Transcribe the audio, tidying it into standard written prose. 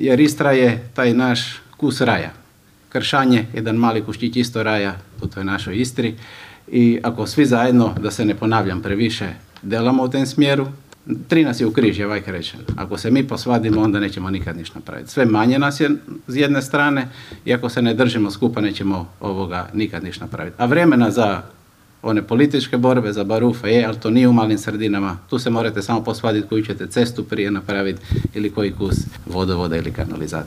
jer Istra je taj naš kus raja. Kršanje, jedan mali kuščić isto raja u toj našoj Istri i ako svi zajedno, da se ne ponavljam previše, delamo u tem smjeru, 3 nas je u križ, je vajka rečeno. Ako se mi posvadimo, onda nećemo nikad ništa napraviti. Sve manje nas je s jedne strane i ako se ne držimo skupa, nećemo nikad ništa napraviti. A vremena za one političke borbe, za barufe je, ali to nije u malim sredinama. Tu se morate samo posvaditi koju ćete cestu prije napraviti ili koji kus vodovoda ili kanalizacije.